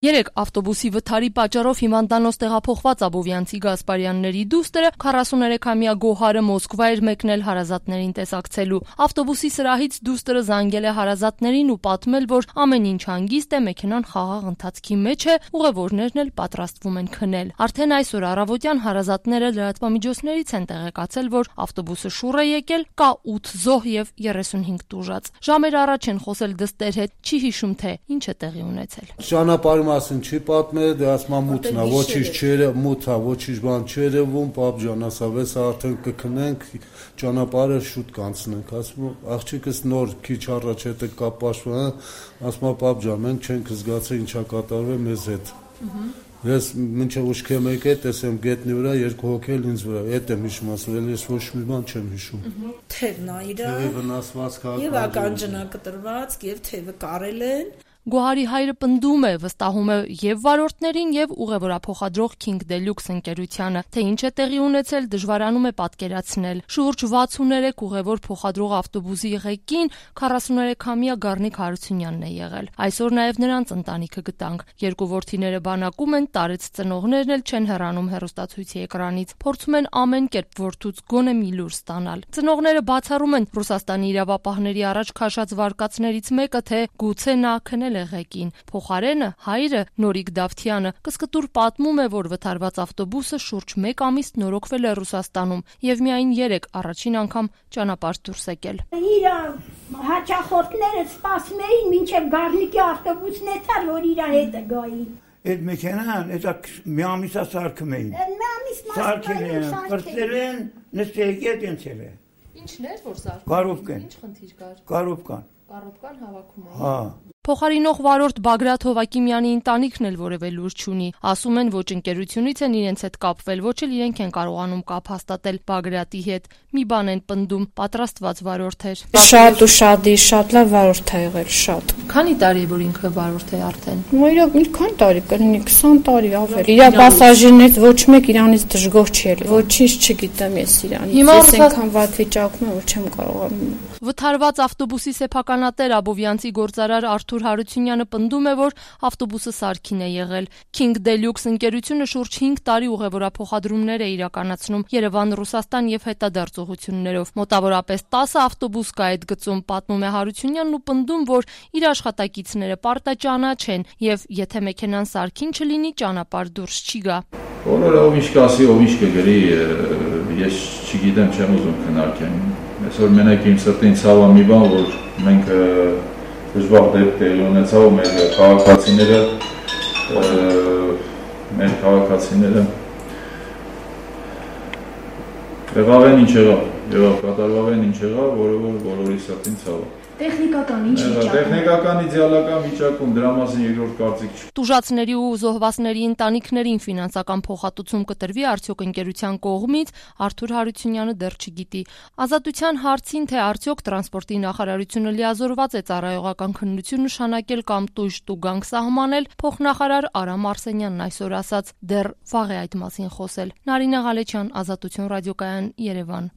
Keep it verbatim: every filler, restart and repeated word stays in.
Երեկ ավտոբուսի վթարի պատճառով հիվանդանոց տեղափոխված աբովյանցի Գասպարյանների դուստրը քառասուներեքամյա Գոհարը Մոսկվա էր մեկնել հարազատներին տեսակցելու։ Ավտոբուսի սրահից դուստրը զանգել է հարազատներին ու պատմել, որ ամեն ինչ հանգիստ է, մեքենան խաղաղ ընթացքի մեջ է, ուղևորներն էլ պատրաստվում են քնել։ Արդեն այսօր առավոտյան հարազատները լրատվամիջոցներից են տեղեկացել, որ ավտոբուսը շուռ է եկել, կա ութ զոհ եւ երեսունհինգ տուժած։ Ժամեր առաջ են խոսել դստեր հետ, չի հիշում թե ինչ է տեղի ունեցել։ Ճանապարհի մասին չի պատմել, դե ասма մութն է, ոչինչ չէր, մութ է, ոչինչ բան չէր ևում, պապ ջան, ասա, վեց արդեն կքնենք, ճանապարհը շուտ կանցնենք, ասում աղջիկս նոր քիչ առաջ հետ կապ պաշտպան, ասма պապ ջան, մենք չենք զգացել ինչա կատարվել մեզ հետ։ Ես մինչև ուշքեմ եկել, տեսեմ գետնի վրա երկու հոգի էլ ինձ վրա, այդ եմ հիշում, ասում եմ, ես ոչ մի բան չեմ հիշում։ Թևն է իրա։ Թևը վնասված քաղաք։ Եվ ականջնակտրված, եւ թևը կարել են։ Գոհարի հայրը պնդում է, վստահում է եւ վարորդներին եւ ուղևորափոխադրող King Deluxe ընկերությանը, թե ինչ է տեղի ունեցել, դժվարանում է պատկերացնել։ Շուրջ վաթսուներեք ուղևոր փոխադրող ավտոբուսի ղեկին քառասուներեքամյա Գառնիկ Հարությունյանն է եղել։ Այսօր նաեւ նրանց ընտանիքը գտանք։ Երկու որդիները բանակում են, տարեց ծնողներն էլ չեն հեռանում հեռուստացույցի էկրանից։ Փորձում են ամեն կերպ որդուց գոնե մի լուր ստանալ։ Ծնողները բացառում են Ռուսաստանի իրավապահների առաջ քաշած վարկածներից մեկը, թե գուցե նա քնել եղեկին։ Փոխարենը հայրը Նորիկ Դավթյանը կսկտուր պատմում է, որ վթարված ավտոբուսը շուրջ մեկ ամիս նորոգվել է Ռուսաստանում եւ միայն երեք առաջին անգամ ճանապարհ դուրս եկել։ Իր հաճախորդները սպասում էին մինչև Գառնիկի ավտոբուսն էթար, որ իր հետը գային։ Այդ մեքենան, էսա մի ամիսա սարքում էին։ Մի ամիս սարքել են, կրծել են, նստել ենցել է։ Ինչն էր, որ սարքում։ Կարոպկան։ Ինչ խնդիր կար։ Կարոպկան։ Կարոպկան հավաքում էին։ Հա։ Փոխարինող վարորդ Բագրատ Հովակիմյանի ընտանիքն էլ որևէ լուր չունի։ Ասում են, ոչ ընկերությունից են իրենց հետ կապվել, ոչ էլ իրենք են կարողանում կապ հաստատել Բագրատի հետ։ Մի բան են պնդում, պատրաստված վարորդ էր։ Շատ ու շատ, շատ լավ վարորդ է եղել, շատ։ Քանի տարի է որ ինքը վարորդ է արդեն։ Մոյրով մի քանի տարի կլինի, քսան տարի ավել։ Իրա պասաժիրներից ոչ մեկ իրանից դժգոհ չի եղել։ Ոչինչ չգիտեմ ես իրանից։ Ես այնքան վատ վիճակում եմ, որ չեմ կարողանում։ Վթարված ավտոբուսի սեփականատեր Աբովյանցի գործարար Արթուր Հարությունյանը պնդում է, որ ավտոբուսը սարքին է եղել։ King Deluxe ընկերությունը շուրջ հինգ տարի ուղևորափոխադրումներ է իրականացնում Երևան, Ռուսաստան եւ հետադարձողություններով։ Մոտավորապես տասը ավտոբուս կա այդ գծում, պատմում է Հարությունյանն ու պնդում, որ իր աշխատակիցները պարտաճանաչ են եւ եթե մեքենան սարքին չլինի, ճանապարհ դուրս չի գա։ Բոլորը ով ինչ կասի, ով ինչ կգրի, ես չգիտեմ, չեմ ուզում քննարկեմ։ Այսօր մենակ իմ սրտին ցավ է մի բան, որ մենք դժվար դեպք տեղի ունեցավ ու մեր քաղաքացիները մեր քաղաքացիները եղավ են ինչ եղավ, եղավ կատարվավ են ինչ եղավ, որը որ բոլորի սրտին ցավ է։ Տեխնիկական ինչ վիճակում։ Տեխնիկական իդեալական վիճակում, դրա մասին երկրորդ կարծիք չի։ Տուժածների ու զոհվածների ընտանիքներին ֆինանսական փոխհատուցում կտրվի արդյոք ընկերության կողմից, Արթուր Հարությունյանը դեռ չգիտի։ Ազատության հարցին, թե արդյոք տրանսպորտի նախարարությունը լիազորված է ծառայողական քննություն նշանակել կամ տույժ տուգանք սահմանել, փոխնախարար Արամ Արսենյանն այսօր ասաց, դեռ վաղ է այդ մասին խոսել։ Նարինե Ղալեչյան, Ազատություն ռադիոկայան, Երևան։